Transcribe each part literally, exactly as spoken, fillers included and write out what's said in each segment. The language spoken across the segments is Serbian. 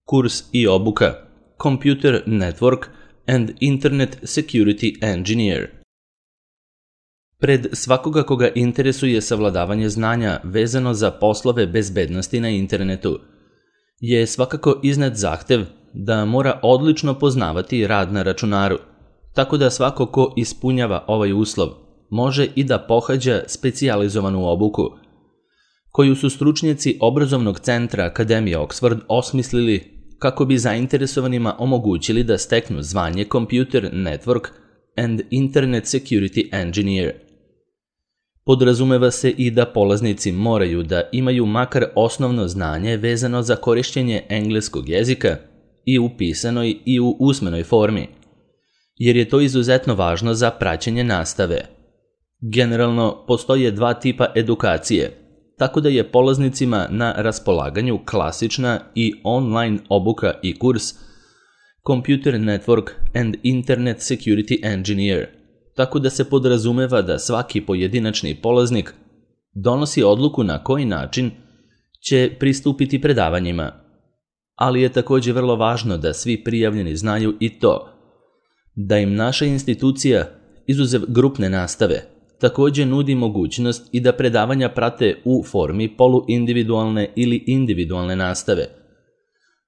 Kurs i obuka Computer Network and Internet Security Engineer. Pred svakoga koga interesuje savladavanje znanja vezano za poslove bezbednosti na internetu je svakako iznad zahtev da mora odlično poznavati rad na računaru, tako da svako ko ispunjava ovaj uslov može i da pohađa specijalizovanu obuku, koju su stručnjaci obrazovnog centra Akademije Oxford osmislili kako bi zainteresovanima omogućili da steknu zvanje Computer Network and Internet Security Engineer. Podrazumeva se i da polaznici moraju da imaju makar osnovno znanje vezano za korišćenje engleskog jezika i u pisanoj i u usmenoj formi, jer je to izuzetno važno za praćenje nastave. Generalno, postoje dva tipa edukacije, tako da je polaznicima na raspolaganju klasična i online obuka i kurs Computer Network and Internet Security Engineer, tako da se podrazumeva da svaki pojedinačni polaznik donosi odluku na koji način će pristupiti predavanjima. Ali je također vrlo važno da svi prijavljeni znaju i to da im naša institucija, izuzev grupne nastave, također nudi mogućnost i da predavanja prate u formi poluindividualne ili individualne nastave,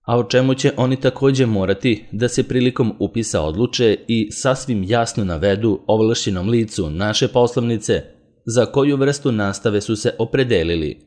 a o čemu će oni također morati da se prilikom upisa odluče i sasvim jasno navedu ovlašćenom licu naše poslovnice za koju vrstu nastave su se opredelili.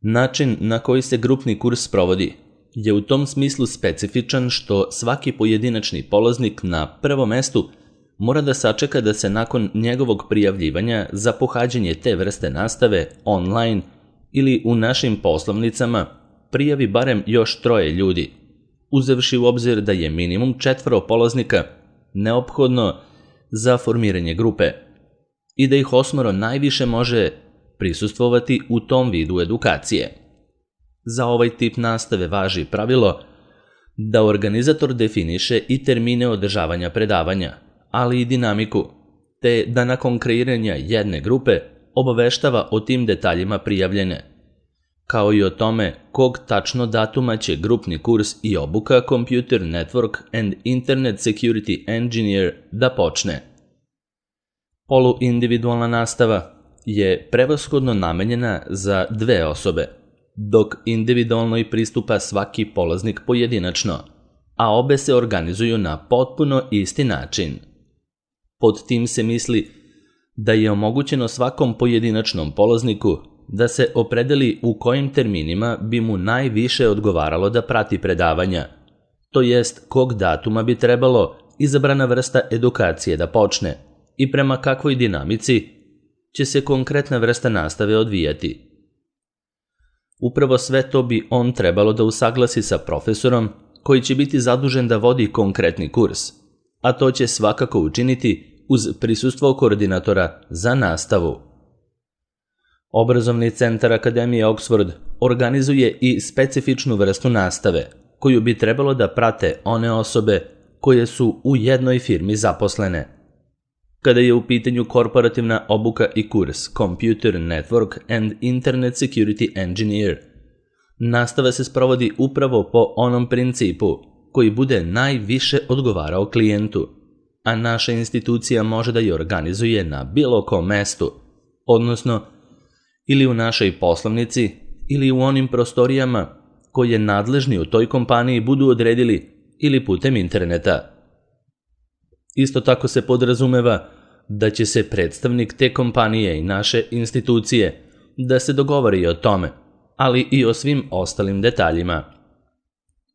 Način na koji se grupni kurs sprovodi je u tom smislu specifičan što svaki pojedinačni polaznik na prvom mestu mora da sačeka da se nakon njegovog prijavljivanja za pohađanje te vrste nastave online ili u našim poslovnicama prijavi barem još troje ljudi, uzevši u obzir da je minimum četvoro polaznika neophodno za formiranje grupe i da ih osmoro najviše može prisustvovati u tom vidu edukacije. Za ovaj tip nastave važi pravilo da organizator definiše i termine održavanja predavanja, ali i dinamiku, te da nakon kreiranja jedne grupe obaveštava o tim detaljima prijavljene, kao i o tome kog tačno datuma će grupni kurs i obuka Computer Network and Internet Security Engineer da počne. Poluindividualna nastava je prevashodno namenjena za dve osobe, dok individualno i pristupa svaki polaznik pojedinačno, a obe se organizuju na potpuno isti način. Pod tim se misli da je omogućeno svakom pojedinačnom polazniku da se opredeli u kojim terminima bi mu najviše odgovaralo da prati predavanja, to jest kog datuma bi trebalo izabrana vrsta edukacije da počne i prema kakvoj dinamici će se konkretna vrsta nastave odvijati. Upravo sve to bi on trebalo da usaglasi sa profesorom koji će biti zadužen da vodi konkretni kurs, a to će svakako učiniti uz prisustvo koordinatora za nastavu. Obrazovni centar Akademije Oxford organizuje i specifičnu vrstu nastave, koju bi trebalo da prate one osobe koje su u jednoj firmi zaposlene. Kada je u pitanju korporativna obuka i kurs Computer Network and Internet Security Engineer, nastava se sprovodi upravo po onom principu koji bude najviše odgovarao klijentu, a naša institucija može da je organizuje na bilo kom mestu, odnosno ili u našoj poslovnici ili u onim prostorijama koje nadležni u toj kompaniji budu odredili ili putem interneta. Isto tako se podrazumeva da će se predstavnik te kompanije i naše institucije da se dogovori o tome, ali i o svim ostalim detaljima.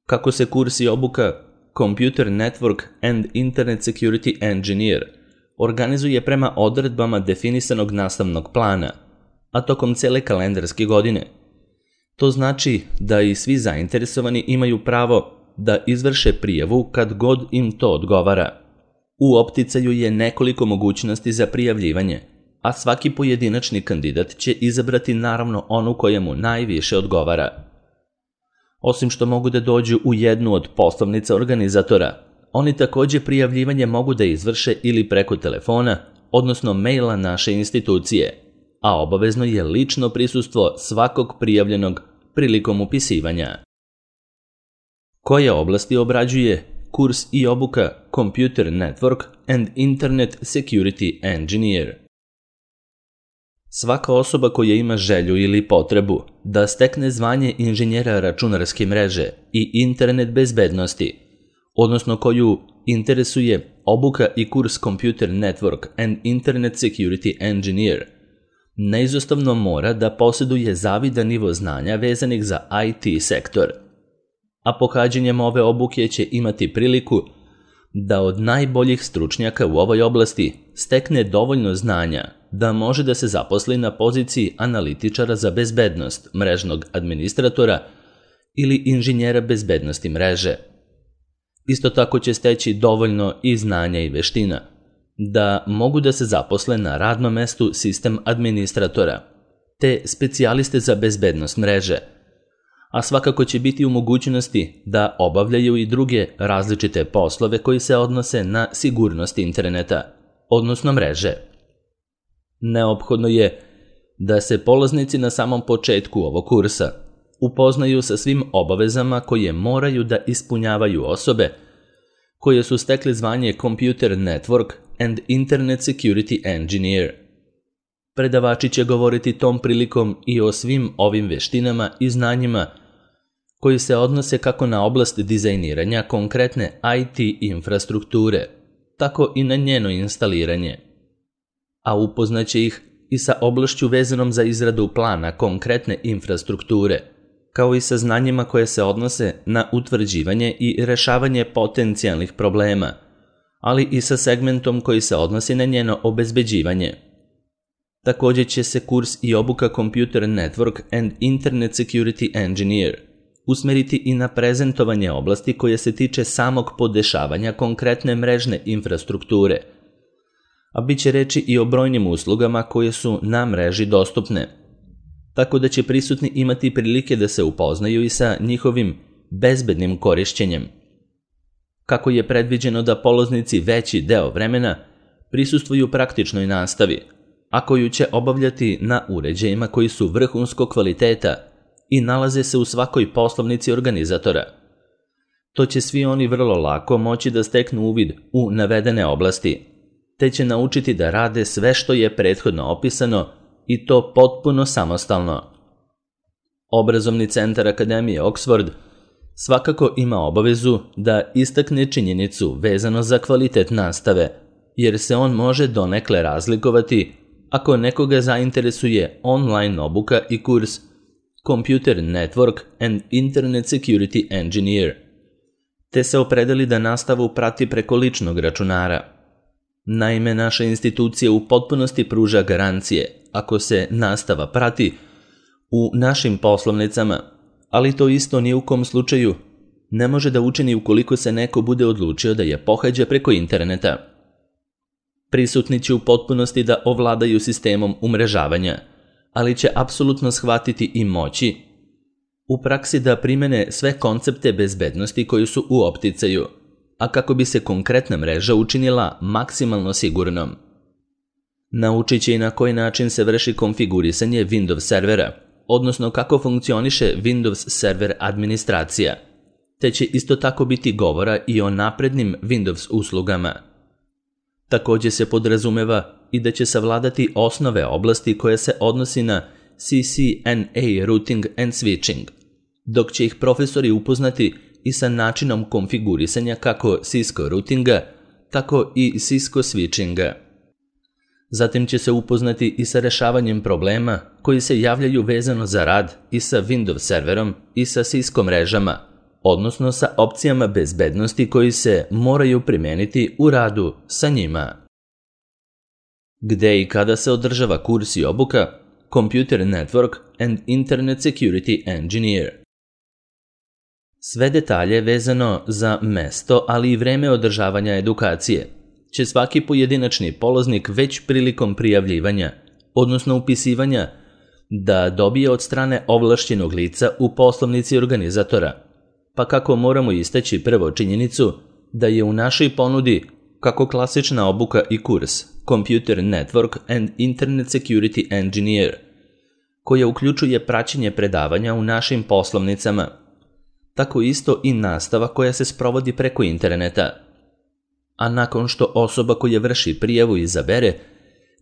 Kako se kurs i obuka Computer Network and Internet Security Engineer organizuje prema odredbama definisanog nastavnog plana, a tokom cele kalendarske godine. To znači da i svi zainteresovani imaju pravo da izvrše prijavu kad god im to odgovara. U opticaju je nekoliko mogućnosti za prijavljivanje, a svaki pojedinačni kandidat će izabrati naravno onu koja mu najviše odgovara. Osim što mogu da dođu u jednu od poslovnica organizatora, oni također prijavljivanje mogu da izvrše ili preko telefona, odnosno maila naše institucije, a obavezno je lično prisustvo svakog prijavljenog prilikom upisivanja. Koje oblasti obrađuje kurs i obuka Computer Network and Internet Security Engineer? Svaka osoba koja ima želju ili potrebu da stekne zvanje inženjera računarske mreže i internet bezbednosti, odnosno koju interesuje obuka i kurs Computer Network and Internet Security Engineer, neizostavno mora da posjeduje zavidan nivo znanja vezanih za I T sektor, a pohađanjem ove obuke će imati priliku da od najboljih stručnjaka u ovoj oblasti stekne dovoljno znanja da može da se zaposli na poziciji analitičara za bezbednost, mrežnog administratora ili inženjera bezbednosti mreže. Isto tako će steći dovoljno i znanja i veština da mogu da se zaposle na radnom mestu sistem administratora, te specijaliste za bezbednost mreže, a svakako će biti u mogućnosti da obavljaju i druge različite poslove koji se odnose na sigurnost interneta, odnosno mreže. Neophodno je da se polaznici na samom početku ovog kursa upoznaju sa svim obavezama koje moraju da ispunjavaju osobe koje su stekle zvanje Computer Network and Internet Security Engineer. Predavači će govoriti tom prilikom i o svim ovim veštinama i znanjima koji se odnose kako na oblast dizajniranja konkretne I T infrastrukture, tako i na njeno instaliranje, a upoznaće ih i sa oblašću vezanom za izradu plana konkretne infrastrukture, kao i sa znanjima koje se odnose na utvrđivanje i rešavanje potencijalnih problema, ali i sa segmentom koji se odnosi na njeno obezbeđivanje. Također će se kurs i obuka Computer Network and Internet Security Engineer usmeriti i na prezentovanje oblasti koje se tiče samog podešavanja konkretne mrežne infrastrukture, a bit će reči i o brojnim uslugama koje su na mreži dostupne, tako da će prisutni imati prilike da se upoznaju i sa njihovim bezbednim korišćenjem. Kako je predviđeno da polaznici veći deo vremena prisustvuju praktičnoj nastavi, a koju će obavljati na uređajima koji su vrhunskog kvaliteta i nalaze se u svakoj poslovnici organizatora. To će svi oni vrlo lako moći da steknu uvid u navedene oblasti, te će naučiti da rade sve što je prethodno opisano i to potpuno samostalno. Obrazovni centar Akademije Oxford svakako ima obavezu da istakne činjenicu vezano za kvalitet nastave, jer se on može donekle razlikovati ako nekoga zainteresuje online obuka i kurs Computer Network and Internet Security Engineer, te se opredeli da nastavu prati preko ličnog računara. Naime, naša institucija u potpunosti pruža garancije ako se nastava prati u našim poslovnicama, ali to isto ni u kom slučaju ne može da učini ukoliko se neko bude odlučio da je pohađa preko interneta. Prisutni će u potpunosti da ovladaju sistemom umrežavanja, ali će apsolutno shvatiti i moći u praksi da primene sve koncepte bezbednosti koji su u opticaju, a kako bi se konkretna mreža učinila maksimalno sigurnom. Naučit će i na koji način se vrši konfigurisanje Windows servera, odnosno kako funkcioniše Windows server administracija, te će isto tako biti govora i o naprednim Windows uslugama. Također se podrazumeva i da će savladati osnove oblasti koje se odnosi na C C N A routing and switching, dok će ih profesori upoznati i sa načinom konfigurisanja kako Cisco routinga, tako i Cisco switchinga. Zatim će se upoznati i sa rešavanjem problema koji se javljaju vezano za rad i sa Windows serverom i sa Cisco mrežama, odnosno sa opcijama bezbednosti koji se moraju primijeniti u radu sa njima. Gde i kada se održava kurs i obuka Computer Network and Internet Security Engineer? Sve detalje vezano za mesto, ali i vreme održavanja edukacije će svaki pojedinačni polaznik već prilikom prijavljivanja, odnosno upisivanja, da dobije od strane ovlašćenog lica u poslovnici organizatora, pa kako moramo istaći prvo činjenicu da je u našoj ponudi kako klasična obuka i kurs Computer Network and Internet Security Engineer, koja uključuje praćenje predavanja u našim poslovnicama, tako isto i nastava koja se sprovodi preko interneta. A nakon što osoba koja vrši prijavu izabere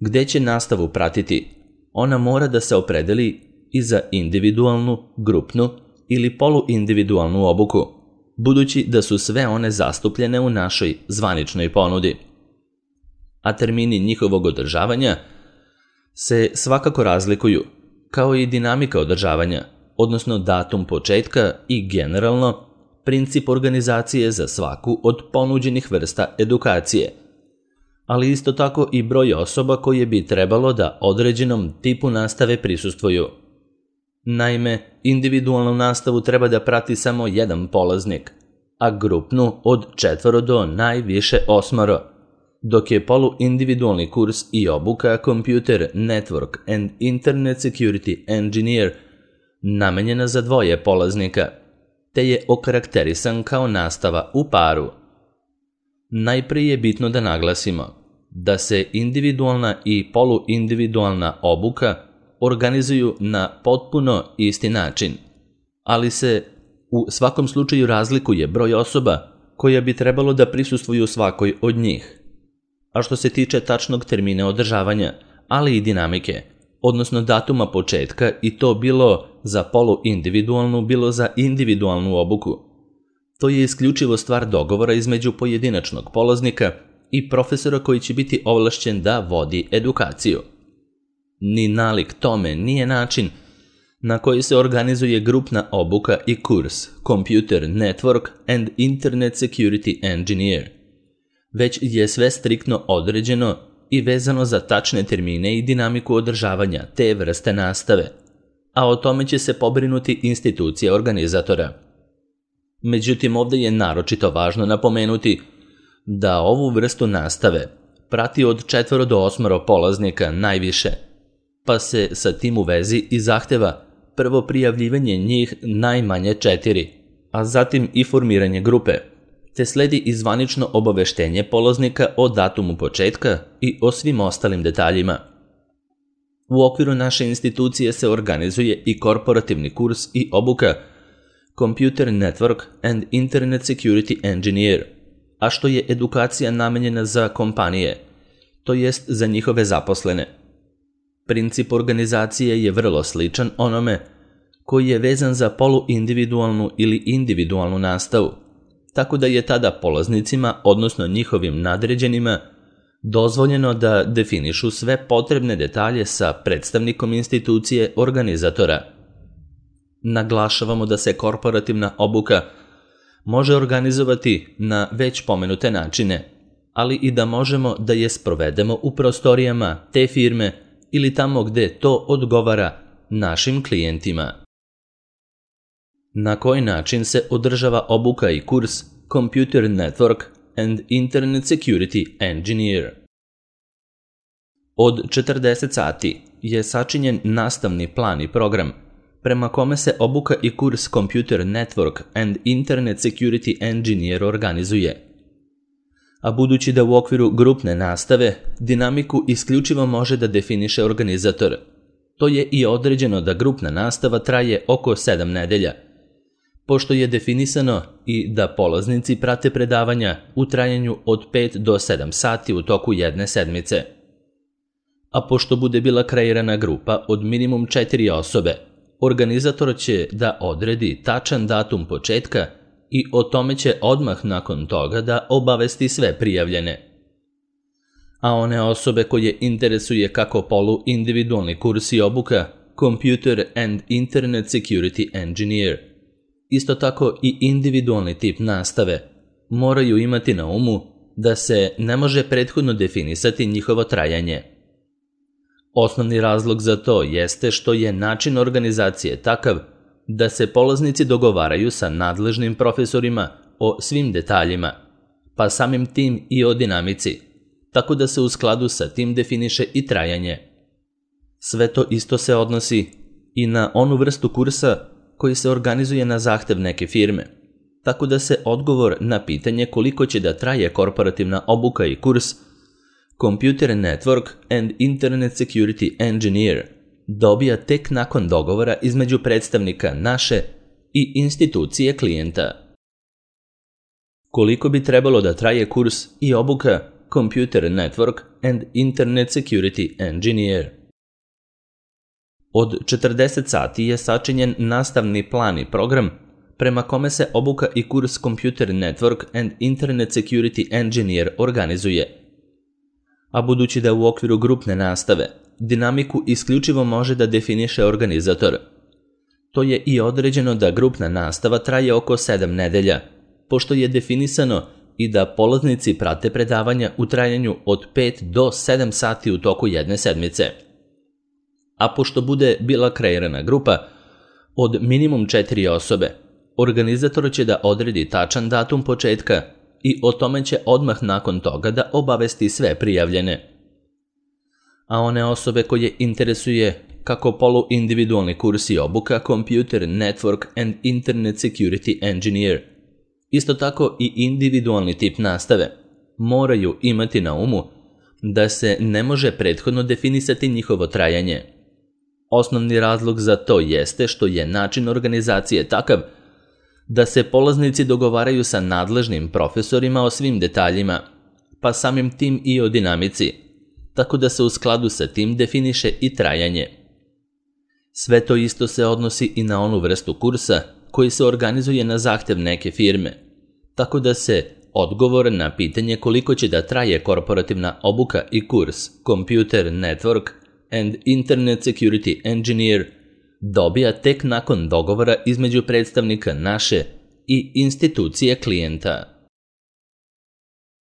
gde će nastavu pratiti, ona mora da se opredeli i za individualnu, grupnu ili poluindividualnu obuku, budući da su sve one zastupljene u našoj zvaničnoj ponudi. A termini njihovog održavanja se svakako razlikuju, kao i dinamika održavanja, odnosno datum početka i generalno princip organizacije za svaku od ponuđenih vrsta edukacije, ali isto tako i broj osoba koje bi trebalo da određenom tipu nastave prisustvuju. Naime, individualnu nastavu treba da prati samo jedan polaznik, a grupnu od četvoro do najviše osmoro, dok je poluindividualni kurs i obuka Computer Network and Internet Security Engineer namenjena za dvoje polaznika, te je okarakterisan kao nastava u paru. Najprije je bitno da naglasimo da se individualna i poluindividualna obuka organizuju na potpuno isti način, ali se u svakom slučaju razlikuje broj osoba koja bi trebalo da prisustvuju svakoj od njih. A što se tiče tačnog termina održavanja, ali i dinamike, odnosno datuma početka, i to bilo za poluindividualnu, bilo za individualnu obuku, to je isključivo stvar dogovora između pojedinačnog polaznika i profesora koji će biti ovlašćen da vodi edukaciju. Ni nalik tome nije način na koji se organizuje grupna obuka i kurs Computer Network and Internet Security Engineer, već je sve striktno određeno i vezano za tačne termine i dinamiku održavanja te vrste nastave, a o tome će se pobrinuti institucija organizatora. Međutim, ovdje je naročito važno napomenuti da ovu vrstu nastave prati od četvoro do osmoro polaznika najviše, pa se sa tim u vezi i zahteva prvo prijavljivanje njih najmanje četiri, a zatim i formiranje grupe, te sledi i zvanično obaveštenje polaznika o datumu početka i o svim ostalim detaljima. U okviru naše institucije se organizuje i korporativni kurs i obuka Computer Network and Internet Security Engineer, a što je edukacija namenjena za kompanije, to jest za njihove zaposlene. Princip organizacije je vrlo sličan onome koji je vezan za poluindividualnu ili individualnu nastavu, tako da je tada polaznicima, odnosno njihovim nadređenima, dozvoljeno da definišu sve potrebne detalje sa predstavnikom institucije organizatora. Naglašavamo da se korporativna obuka može organizovati na već pomenute načine, ali i da možemo da je sprovedemo u prostorijama te firme ili tamo gde to odgovara našim klijentima. Na koji način se održava obuka i kurs Computer Network and Internet Security Engineer? Od četrdeset sati je sačinjen nastavni plan i program, prema kome se obuka i kurs Computer Network and Internet Security Engineer organizuje. A budući da u okviru grupne nastave dinamiku isključivo može da definiše organizator, to je i određeno da grupna nastava traje oko sedam nedelja, pošto je definisano i da polaznici prate predavanja u trajanju od pet do sedam sati u toku jedne sedmice. A pošto bude bila kreirana grupa od minimum četiri osobe, organizator će da odredi tačan datum početka i o tome će odmah nakon toga da obavesti sve prijavljene. A one osobe koje interesuje kako polu individualni kurs i obuka Computer and Internet Security Engineer, isto tako i individualni tip nastave, moraju imati na umu da se ne može prethodno definisati njihovo trajanje. Osnovni razlog za to jeste što je način organizacije takav da se polaznici dogovaraju sa nadležnim profesorima o svim detaljima, pa samim tim i o dinamici, tako da se u skladu sa tim definiše i trajanje. Sve to isto se odnosi i na onu vrstu kursa koji se organizuje na zahtev neke firme, tako da se odgovor na pitanje koliko će da traje korporativna obuka i kurs Computer Network and Internet Security Engineer dobija tek nakon dogovora između predstavnika naše i institucije klijenta. Koliko bi trebalo da traje kurs i obuka Computer Network and Internet Security Engineer? Od četrdeset sati je sačinjen nastavni plan i program prema kome se obuka i kurs Computer Network and Internet Security Engineer organizuje. A budući da u okviru grupne nastave dinamiku isključivo može da definiše organizator, to je i određeno da grupna nastava traje oko sedam nedelja, pošto je definisano i da polaznici prate predavanja u trajanju od pet do sedam sati u toku jedne sedmice. A pošto bude bila kreirana grupa od minimum četiri osobe, organizator će da odredi tačan datum početka i o tome će odmah nakon toga da obavesti sve prijavljene. A one osobe koje interesuje kako poluindividualni kurs i obuka Computer Network and Internet Security Engineer, isto tako i individualni tip nastave, moraju imati na umu da se ne može prethodno definisati njihovo trajanje. Osnovni razlog za to jeste što je način organizacije takav da se polaznici dogovaraju sa nadležnim profesorima o svim detaljima, pa samim tim i o dinamici, tako da se u skladu sa tim definiše i trajanje. Sve to isto se odnosi i na onu vrstu kursa koji se organizuje na zahtev neke firme, tako da se odgovor na pitanje koliko će da traje korporativna obuka i kurs Computer Network and Internet Security Engineer dobija tek nakon dogovora između predstavnika naše i institucije klijenta.